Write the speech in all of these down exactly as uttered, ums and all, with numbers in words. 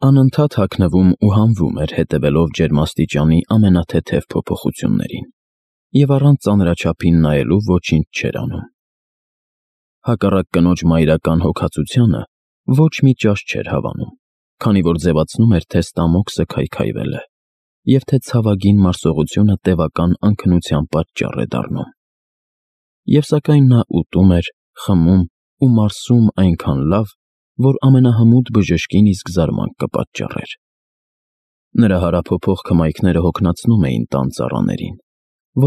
Անընդհատ հագնվում ու հանվում էր հետևելով ջերմաստիճանի ամենաթեթև փոփոխություններին և առանց ծանրաչափին նայելու ոչինչ չէր անում։ Հակառակ կնոջ մայրական հոգածությանը ոչ մի ճաշ չէր հավանում, քանի որ ձևացնում էր, թե ստամոքսը քայքայվել է, և թե ցավագին մարսողությունը տևական անքնության պատճառ է դառնում։ Եվ սակայն նա ուտում էր, խմում ու մարսում այնքան լավ, որ ամենահմուտ բժշկին իսկ զարմանք կպատճառեր։ Նրա հարափոփող քմայքները հոգնեցնում էին տան ծառաներին,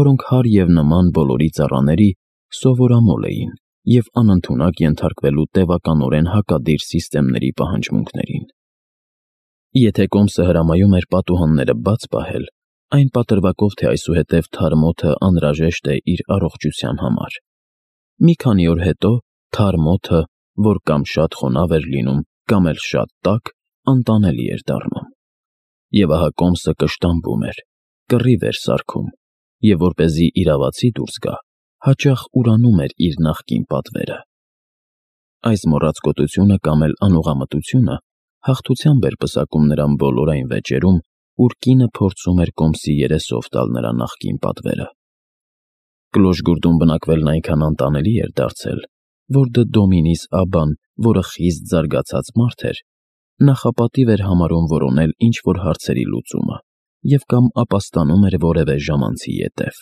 որոնք հարի և նման բոլորի ծառաների սովորամոլ էին և անընդունակ ենթարկվելու տևականորեն հակադիր սիստեմների պահանջմունքներին։ Եթե կոմսը հրամայում էր պատուհանները բաց պահել, այն պատրվակով, թե այսուհետև թարմ օդը անհրաժեշտ է իր առողջության համար։ Մի քանի օր հետո թարմ օդը, որ կամ շատ խոնավ էր լինում, կամ էլ շատ տաք, անտանելի էր դառնում։ Եվ ահա կոմսը կշտամբում էր, կռիվ էր սարքում, և որպեսզի իրավացի դուրս գա, հաճախ ուրանում էր իր նախկին պատվերը։ Այս մոռացկոտությունը կամ էլ անուղղամտությունը հաղթությամբ էր պսակում նրան բոլոր այն վեճերում, ուր կինը փորձում էր կոմսի երեսով տալ նրա նախկին պատվերը։ Կլոժգուրդում բնակվելն այնքան անտանելի էր դարձել, որ Դոմինիս Աբբան, որը խիստ զարգացած մարդ էր, նախապատիվ էր համարում որոնել ինչ-որ հարցերի լուծումը և կամ ապաստանում էր որևէ ժամանցի ետև։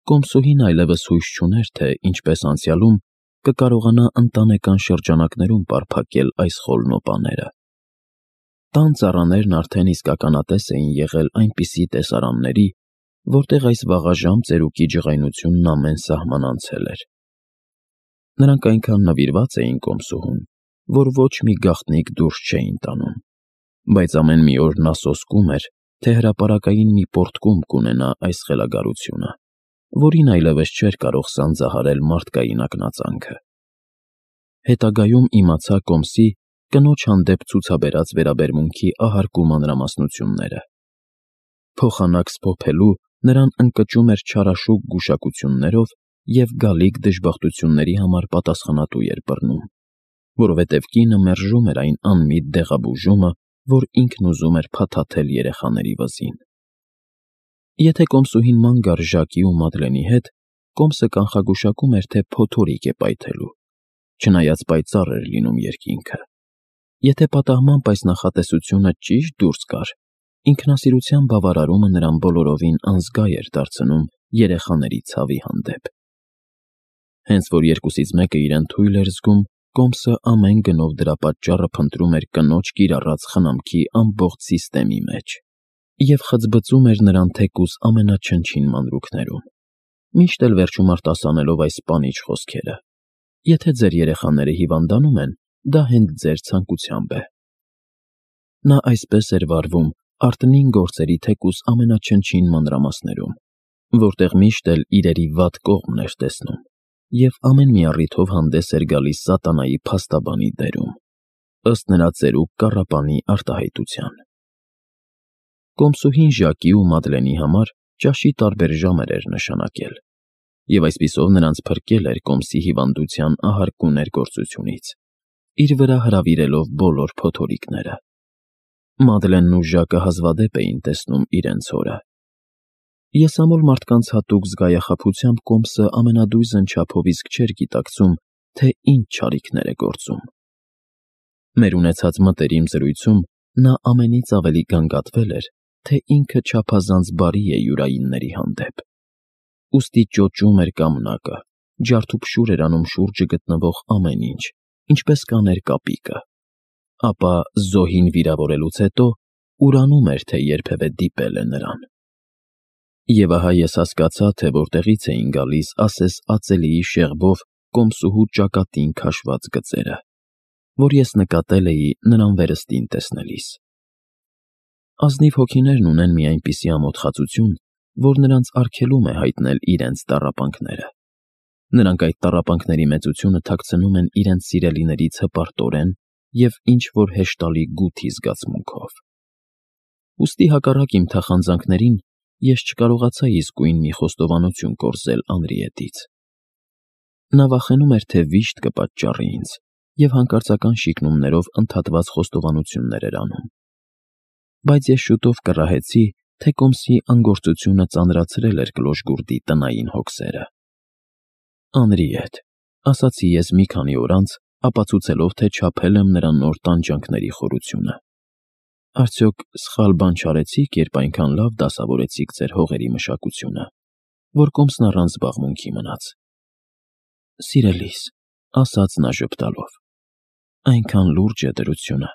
Կոմսուհին այլևս հույս չուներ, թե ինչպես անցյալում կկարողանա ընտանեկան շրջանակներում պարփակել այս խոլնոպաները։ Տան ծառաներն արդեն իսկ ականատես էին եղել այնպիսի տեսարանների, որտեղ այս վաղաժամ ծերուկի ջղայնությունն ամեն սահման անցել էր։ Նրանք այնքան նվիրված էին կոմսուհուն, որ ոչ մի գաղտնիք դուրս չէին տանում, բայց ամեն մի օր նա սոսկում էր, թե հրապարակային մի պոռթկում կունենա այս խելագարությունը, որին այլևս չէր կարող սանձահարել մարդկային ակնածանքը։ Հետագայում իմացա կոմսի կնոջ հանդեպ ցուցաբերած վերաբերմունքի ահարկու մանրամասնությունները։ Փոխանակ սփոփելու նրան ընկճում էր չարաշուկ գուշակություններով և գալիք դժբախտությունների համար պատասխանատու էր բռնում, որովհետև կինը մերժում էր այն անմիտ դեղաբուժումը, որ ինքն ուզում էր փաթաթել երեխաների վզին։ Եթե կոմսուհին ման գար Ժակի ու Մադլենի հետ, կոմսը կանխագուշակում էր, թե փոթորիկ է պայթելու, չնայած պայծառ էր լինում երկինքը։ Եթե պատահմամբ այս նախատեսությունը ճիշտ դուրս գար, ինքնասիրության բավարարումը նրան բոլորովին անզգա էր դարձնում երեխաների ցավի հանդեպ։ Հենց որ երկուսից մեկը իրեն թույլ էր զգում, կոմսը ամեն գնով դրա պատճառը փնտրում էր կնոջ կիրառած խնամքի ամբողջ սիստեմի մեջ և խծբծում էր նրան թեկուզ ամենաչնչին մանրուքներում, միշտ էլ վերջում արտասանելով այս սպանիչ խոսքերը. «Եթե ձեր երեխաները հիվանդանում են, դա հենց ձեր ցանկությամբ է»։ Նա այսպես էր վարվում արտնին գործերի թեկուզ ամենաչնչին մանրամասներում, որտեղ միշտ էլ իրերի վատ կողմն էր տեսնում և ամեն մի առիթով հանդես էր գալիս սատանայի փաստաբանի դերում, ըստ նրա ծերուկ կառապանի արտահայտության։ Կոմսուհին Ժակի ու Մադլենի համար ճաշի տարբեր ժամեր էր նշանակել, և այսպիսով նրանց փրկել էր կոմսի հիվանդության ահարկու ներգործությունից, իր վրա հրավիրելով բոլոր փոթորիկները։ Մադլենն ու Ժակը հազվադեպ էին տեսնում իրենց հորը։ Եսամոլ մարդկանց հատուկ զգայախաբությամբ կոմսը ամենադույզն չափով իսկ չէր գիտակցում, թե ինչ չարիքներ է գործում։ Մեր ունեցած մտերիմ զրույցում նա ամենից ավելի գանգատվել էր, թե ինքը չափազանց բարի է յուրայինների հանդեպ, ուստի ճոճում էր կամնակը, ջարդուփշուր էր անում շուրջը գտնվող ամեն ինչ, ինչպես կաներ կապիկը, ապա զոհին վիրավորելուց հետո ուրանում էր, թե երբևէ դիպել է նրան։ Եվ ահա ես հասկացա, թե որտեղից էին գալիս ասես ածելիի շեղբով կոմսուհու ճակատին քաշված գծերը, որ ես նկատել էի նրան վերստին տեսնելիս։ Ազնիվ հոգիներն ունեն մի այնպիսի ամոթխածություն, որ նրանց արգելում է հայտնել իրենց տառապանքները։ Նրանք այդ տառապանքների մեծությունը թաքցնում են իրենց սիրելիներից հպարտորեն և ինչ-որ հեշտալի գութի զգացմունքով։ Ուստի հակառակ իմ թախանձանքներին ես չկարողացա իսկույն մի խոստովանություն կորզել Անրիետից։ Նա վախենում էր, թե վիշտ կպատճառի ինձ, և հանկարծական շիկնումներով ընդհատված խոստովանություններ էր անում։ Բայց ես շուտով կռահեցի, թե կոմսի անգործությունը ծանրացրել էր կլոշգուրդի տնային հոգսերը։ «Անրիետ», ասացի ես մի քանի օր անց, ապացուցելով, թե չափել եմ նրա նոր տանջանքների խորությունը։ Արդյոք սխալ բան չարեցիք, երբ այնքան լավ դասավորեցիք ձեր հողերի մշակությունը, որ կոմսն առանց զբաղմունքի մնաց։ Սիրելիս, ասաց նա ժպտալով, այնքան լուրջ է դրությունը,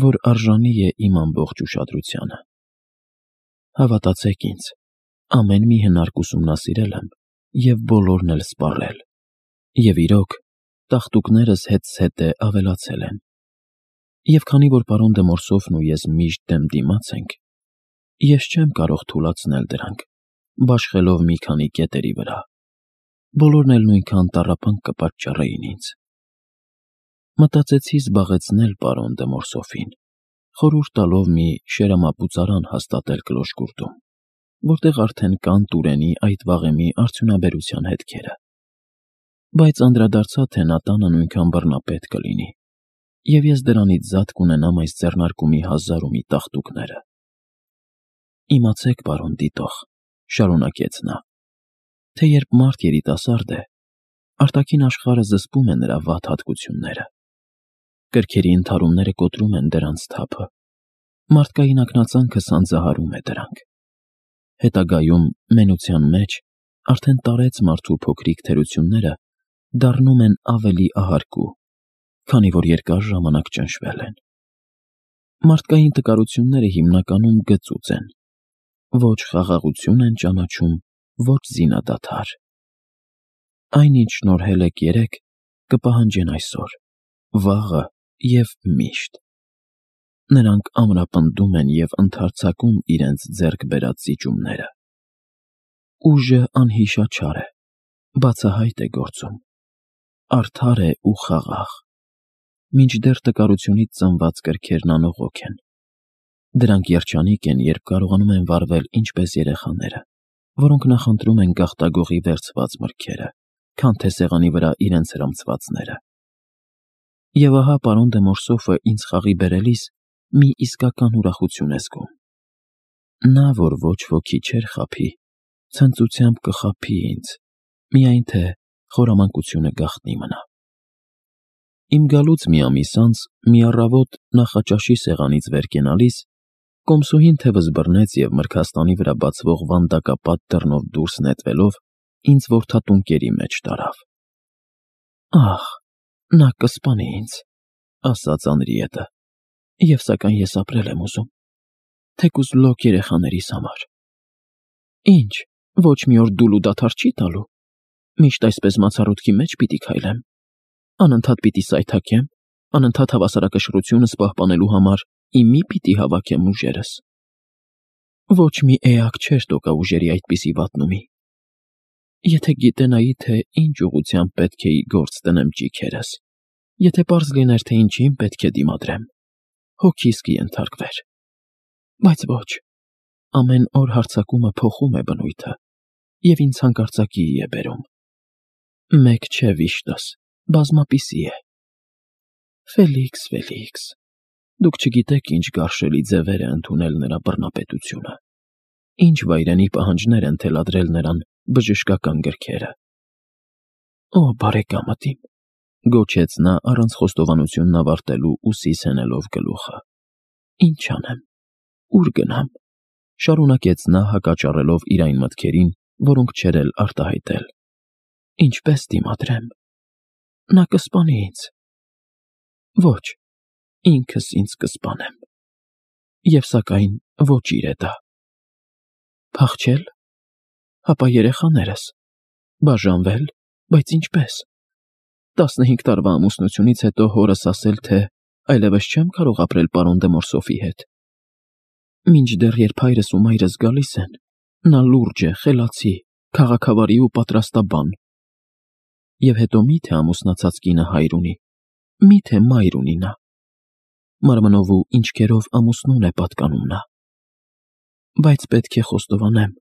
որ արժանի է իմ ամբողջ ուշադրությանը։ Հավատացեք ինձ, ամեն մի հնարք ուսումնասիրել եմ և բոլորն էլ սպառել, և իրոք, տաղտուկներս հետզհետե ավելացել են։ Եվ քանի որ պարոն դե Մորսոֆն ու ես միշտ դեմ դիմաց ենք, ես չեմ կարող թուլացնել դրանք, բաշխելով մի քանի կետերի վրա, բոլորն էլ նույնքան տառապանք կպատճառեին ինձ։ Մտածեցի զբաղեցնել պարոն դե Մորսոֆին, խորհուրդ տալով մի շերամապուծարան հաստատել կլոշգուրդում, որտեղ արդեն կան Տուրենի այդ վաղեմի արդյունաբերության հետքերը։ Բայց անդրադարձա, թե նա տանը նույնքան բռնապետ կլինի, և ես դրանից զատ կունենամ այս ձեռնարկումի հազար ու մի տաղտուկները։ Իմացեք, պարոն դիտող, շարունակեց նա, թե երբ մարդ երիտասարդ է, արտաքին աշխարհը զսպում է նրա վատ հատկությունները, կրքերի ընդհարումները կոտրում են դրանց թափը, մարդկային ակնածանքը սանձահարում է դրանք։ Հետագայում մենության մեջ արդեն տարեց մարդու փոքրիկ թերությունները դառնում են ավելի ահարկու, քանի որ երկար ժամանակ ճնշվել են։ Մարդկային տկարությունները հիմնականում գծուծ են, ոչ խաղաղություն են ճանաչում, ոչ զինադադար։ Այն, ինչ շնորհել եք երեկ, կպահանջեն այսօր, վաղը և միշտ։ Նրանք ամրապնդում են և ընդարձակում իրենց ձեռք բերած զիջումները։ Ուժը անհիշաչար է, բացահայտ է գործում, արդար է ու խաղաղ, մինչդեռ տկարությունից ծնված կրքերն անողոք են։ Դրանք երջանիկ են, երբ կարողանում են վարվել ինչպես երեխաները, որոնք նախընտրում են գաղտագողի վերցված մրգերը, քան թե սեղանի վրա իրենց հրամցվածները։ Եվ ահա պարոն դե Մորսոֆը ինձ խաղի բերելիս մի իսկական ուրախություն է զգում։ Նա, որ ոչ ոքի չէր խաբի, ցնծությամբ կխաբի ինձ, միայն թե խորամանկությունը գաղտնի մնա։ Իմ գալուց մի ամիս անց, մի առավոտ նախաճաշի սեղանից վեր կենալիս, կոմսուհին թևս բռնեց և մրգաստանի վրա բացվող վանդակապատ դռնով դուրս նետվելով, ինձ որդատունկերի մեջ տարավ։ Ահ, նա կսպանի ինձ, ասաց Անրիետը, և սակայն ես ապրել եմ ուզում, թեկուզ լոկ երեխաներիս համար։ Ինչ, ոչ մի օր դուլու դադար չի տալու, միշտ այսպես մացառոտքի մեջ պիտի քայլեմ, անընդհատ պիտի սայթաքեմ, անընդհատ հավասարակշռությունս պահպանելու համար իմի պիտի հավաքեմ ուժերս։ Ոչ մի էակ չէր տոկա ուժերի այդպիսի վատնումի։ Եթե գիտենայի, թե ինչ ուղղությամբ պետք է գործ տնեմ ճիգերս, եթե պարզ լիներ, թե ինչին պետք է դիմադրեմ, հոգիս կենթարկվեր։ Բայց ոչ, ամեն օր հարձակումը փոխում է բնույթը և ինձ հանկարծակիի է բերում։ Մեկ չէ վիշտս, բազմապիսի է։ Ֆելիքս, Ֆելիքս, դուք չգիտեք ինչ գարշելի ձևեր է ընդունել նրա բռնապետությունը, ինչ վայրենի պահանջներ են թելադրել նրան բժշկական գրքերը։ Օ, բարեկամդ իմ, գոչեց նա առանց խոստովանությունն ավարտելու ուսիս հենելով գլուխը։ Ինչ անեմ, ուր գնամ, շարունակեց նա հակաճառելով իր այն մտքերին, որոնք չէր էլ արտահայտել։ Ինչպես դիմադրեմ, նա կսպանի ինձ։ Ոչ, ինքս ինձ կսպանեմ։ Եվ սակայն ոչ իր է դա։ Փախչել, հապա երեխաներս, բաժանվել, բայց ինչպես։ Տասնհինգ տարվա ամուսնությունից հետո հորս ասել, թե այլևս չեմ կարող ապրել պարոն դե Մորսոֆի հետ։ Մինչդեռ երբ հայրս ու մայրս գալիս են, նա լուրջ է, խելացի, քաղաքավարի ու պատրաստաբան։ Եվ հետո մի՞թե ամուսնացած կինը հայր ունի, մի՞թե մայր ունի նա։ Մարմնով ու ինչքերով ամուսնուն է պատկանում նա։ Բայց պետք է խոստովանեմ,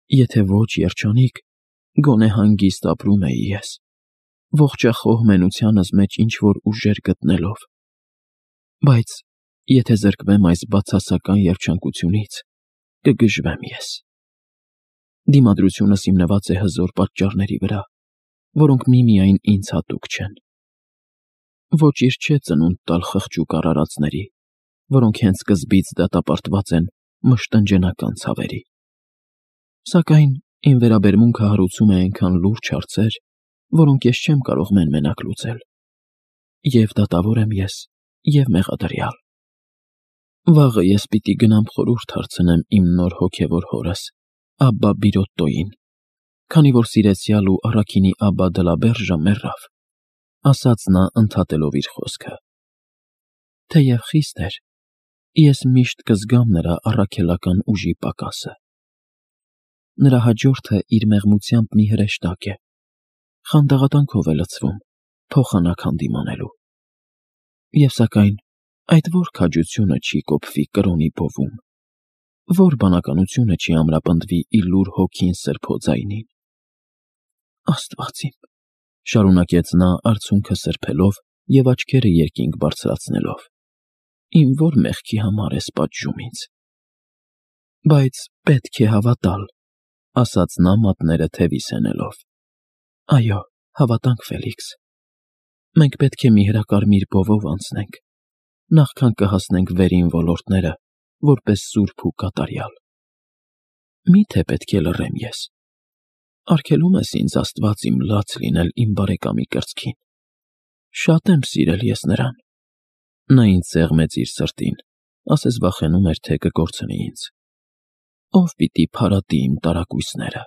եթե ոչ երջանիկ, գոնե հանգիստ ապրում էի ես։ ողջախոհ մենությանս մեջ ինչ-որ ուժեր գտնելով, բայց եթե զրկվեմ այս բացասական երջանկությունից, կգժվեմ ես։ Դիմադրությունս հիմնված է հզոր պատճառների վրա, որոնք միմիայն ինձ հատուկ չեն։ Ոչ իր չէ ծնունդ տալ խղճուկ արարածների, որոնք հենց սկզբից դատապարտված են մշտնջենական ցավերի։ Սակայն իմ վերաբերմունքը հարուցում է այնքան լուրջ հարցեր, որոնք ես չեմ կարող մեն-մենակ լուծել։ Եվ դատավոր եմ ես, և մեղադրյալ։ Վաղը ես պիտի գնամ խորհուրդ հարցնեմ իմ նոր հոգևոր հորս, Աբբա Բիրոտտոյին, քանի որ սիրեցյալ ու առաքինի Աբբա Դլաբերժը մեռավ, ասաց նա ընդհատելով իր խոսքը։ Թեև խիստ էր, ես միշտ կզգամ նրա առաքելական ուժի պակասը։ Նրա հաջորդը իր մեղմությամբ մի հրեշտակ է, խանդաղատանքով է լցվում, փոխանակ հանդիմանելու։ Եվ սակայն այդ որ քաջությունը չի կոփվի կրոնի բովում, որ բանականությունը չի ամրապնդվի իլուր հոգին սրբո ձայնին։ Աստված իմ, շարունակեց նա արցունքը սրբելով և աչքերը երկինք բարձրացնելով, իմ որ մեղքի համար ես պատժում ինձ։ Բայց պետք է հավատալ, ասաց նա մատները թևիս հենելով։ Այո, հավատանք, Ֆելիքս։ Մենք պետք է մի հրակարմիր բովով անցնենք, նախքան կհասնենք վերին ոլորտները, որպես սուրբ ու կատարյալ։ Մի՞թե պետք է լռեմ ես։ Արգելում ես ինձ, Աստված իմ, լաց լինել իմ բարեկամի կրծքին։ Շատ եմ սիրել ես նրան։ Նա ինձ սեղմեց իր սրտին, ասես վախենում էր, թե կկորցնի ինձ։ Ո՞վ պիտի փարատի իմ տարակույսները։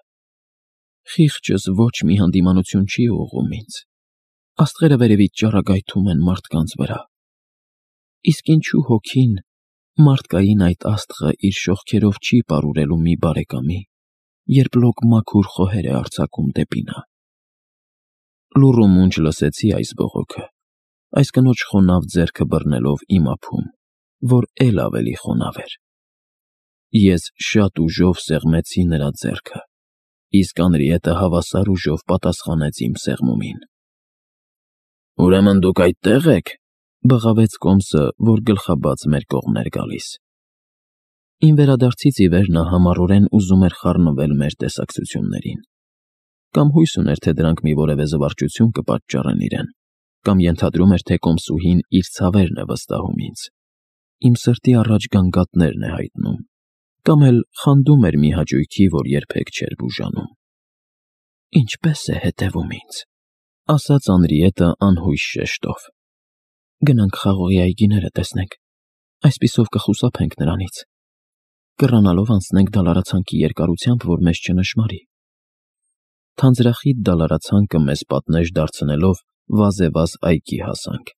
Խիղճս ոչ մի հանդիմանություն չի ուղղում ինձ։ Աստղերը վերևից ճառագայթում են մարդկանց վրա։ Իսկ ինչու հոգին, մարդկային այդ աստղը իր շողքերով չի պարուրելու մի բարեկամի, երբ լոկ մաքուր խոհեր է արձակում դեպի նա։ Լուռ ու մունջ լսեցի այս բողոքը, այս կնոջ խոնավ ձեռքը բռնելով իմ ափում, որ էլ ավելի խոնավ էր։ Ես շատ ուժով սեղմեցի նրա ձեռքը, իսկ Անրիետը հավասար ուժով պատասխանեց իմ սեղմումին։ Ուրեմն դուք այդտեղ եք, բղավեց Կոմսը, որ գլխաբաց մեր կողմն էր գալիս։ Իմ վերադարձից ի վեր նա համառորեն ուզում էր խառնվել մեր տեսակցություններին։ Կամ հույս ուներ, թե դրանք մի որևէ զվարճություն կպատճառեն իրեն, կամ ենթադրում էր, թե Կոմսուհին իր ցավերն է վստահում ինձ, իմ սրտի առաջ գանգատներն է հայտնում, կամ էլ խանդում էր մի հաճույքի, որ երբեք չէր բուժանում։ Ինչպե՞ս է հետևում ինձ, ասաց Անրիետը անհույս շեշտով։ Գնանք խաղողի այգիները տեսնենք, այսպիսով կխուսափենք նրանից։ Կռանալով անցնենք դալարացանքի երկարությամբ, որ մեզ չնշմարի։ Թանձրախիտ դալարացանքը մեզ պատնեշ դարձնելով վազեվազ այգի հասանք,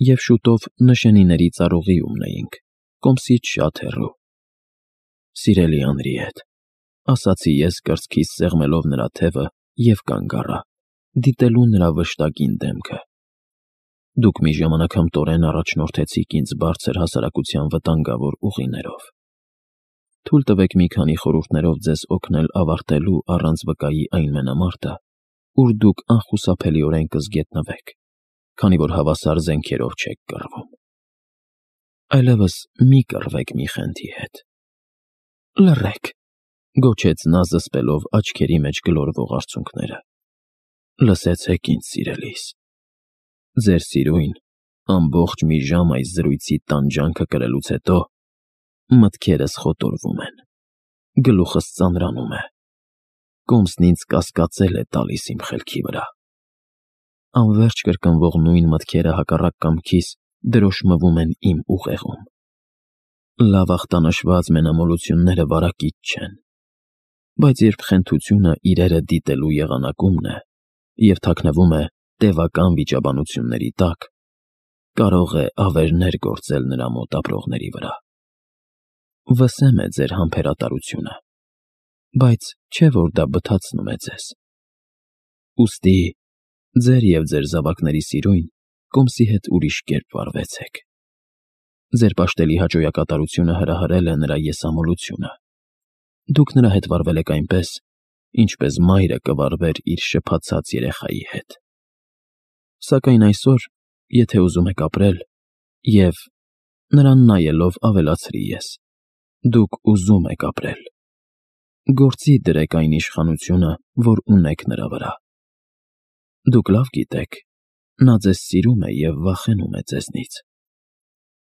և շուտով նշանիների ծառուղիումն էինք, Կոմսից շատ հեռու։ Սիրելի Անրիետ, ասացի ես կրծքիս սեղմելով նրա թևը և կանգ առա, դիտելու նրա վշտագին դեմքը։ Դուք մի ժամանակ հմտորեն առաջնորդեցիք ինձ բարձր հասարակության վտանգավոր ուղիներով։ Թույլ տվեք մի քանի խորհուրդներով ձեզ օգնել ավարտելու առանց վկայի այն մենամարտը, ուր դուք անխուսափելիորեն կզգետնվեք, քանի որ հավասար զենքերով չեք կռվում։ Այլևս մի կռվեք մի խենթի հետ։ Լռեք, գոչեց նա զսպելով աչքերի մեջ գլորվող արցունքները։ Լսեցեք ինձ, սիրելիս։ Ձեր սիրույն, ամբողջ մի ժամ այս զրույցի տանջանքը կրելուց հետո մտքերս խոտորվում են, գլուխս ծանրանում է, Կոմսն ինձ կասկածել է տալիս իմ խելքի վրա։ Անվերջ կրկնվող նույն մտքերը հակառակ կամքիս դրոշմվում են իմ ուղեղում։ Լավ ախտանշված մենամոլությունները վարակիչ չեն, բայց երբ խենթությունը իրերը դիտելու եղանակումն է և թաքնվում է տևական վիճաբանությունների տակ, կարող է ավերներ գործել նրա մոտ ապրողների վրա։ Վսեմ է ձեր համբերատարությունը, բայց չէ որ դա բթացնում է ձեզ։ Ուստի ձեր և ձեր զավակների սիրույն Կոմսի հետ ուրիշ կերպ վարվեցեք։ Ձեր պաշտելի հաճոյակատարությունը հրահրել է նրա եսամոլությունը։ Դուք նրա հետ վարվել եք այնպես, ինչպես մայրը կվարվեր իր շփացած երեխայի հետ։ Սակայն այսօր, եթե ուզում եք ապրել, և, նրան նայելով ավելացրի ես, դուք ուզում եք ապրել, գործի դրեք այն իշխանությունը, որ ունեք նրա վրա։ Դուք լավ գիտեք, նա ձեզ սիրում է և վախենում է ձեզնից։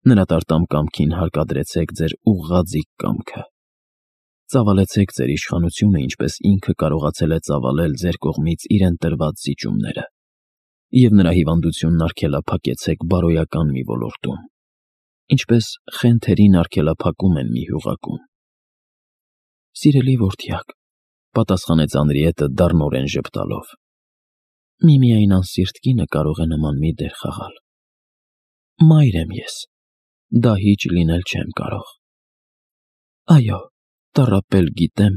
Նրա տարտամ կամքին հարկադրեցեք ձեր ուղղաձիգ կամքը։ Ծավալեցեք ձեր իշխանությունը, ինչպես ինքը կարողացել է ծավալել ձեր կողմից իրեն տրված զիջումները, և նրա հիվանդությունն արգելափակեցեք բարոյական մի ոլորտում, ինչպես խենթերին արգելափակում են մի հյուղակում։ Սիրելի որդյակ, պատասխանեց Անրիետը դառնորեն ժպտալով, միմիայն անսիրտ կինը կարող է նման մի դեր խաղալ։ Մայր եմ ես, դահիճ լինել չեմ կարող։ Այո, տառապել գիտեմ,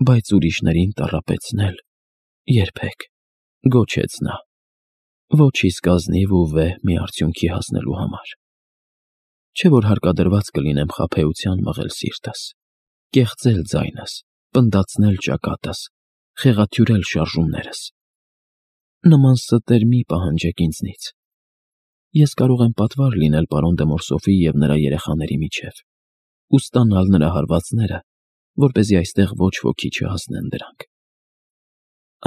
բայց ուրիշներին տառապեցնել երբեք, գոչեց նա, ոչ իսկ ազնիվ ու վեհ մի արդյունքի հասնելու համար։ Չէ՞ որ հարկադրված կլինեմ խաբեության մղել սիրտս, կեղծել ձայնս, պնդացնել ճակատս, խեղաթյուրել շարժումներս։ Նման ստեր մի պահանջեք ինձնից։ Ես կարող եմ պատվար լինել պարոն դե Մորսոֆի և նրա երեխաների միջև ու ստանալ նրա հարվածները, որպեսզի այստեղ ոչ ոքի չհասնեն դրանք։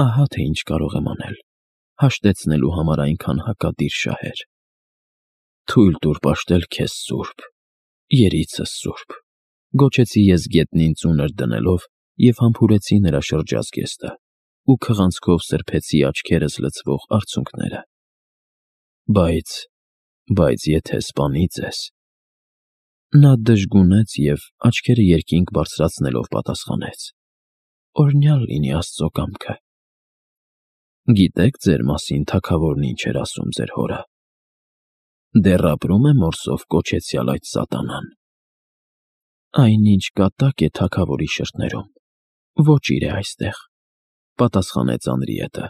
Ահա թե ինչ կարող եմ անել, հաշտեցնելու համար այնքան հակադիր շահեր։ Թույլ տուր պաշտել քեզ սուրբ, երիցս սուրբ, գոչեցի ես գետնին ծունր դնելով և համբուրեցի նրա շրջազգեստը ու քղանցքով սրբեցի աչքերս լցվող արցունքները։ Բայց, բայց եթե սպանի ձեզ… Նա դժգունեց և, աչքերը երկինք բարձրացնելով պատասխանեց. Օրհնյալ լինի Աստծո կամքը։ Գիտե՞ք ձեր մասին թագավորն ինչ էր ասում ձեր հորը։ Դեռ ապրում է Մորսով կոչեցյալ այդ սատանան։ Այնինչ կատակ է թագավորի շրթներում, ոչիր է այստեղ, պատասխանեց Անրիետը։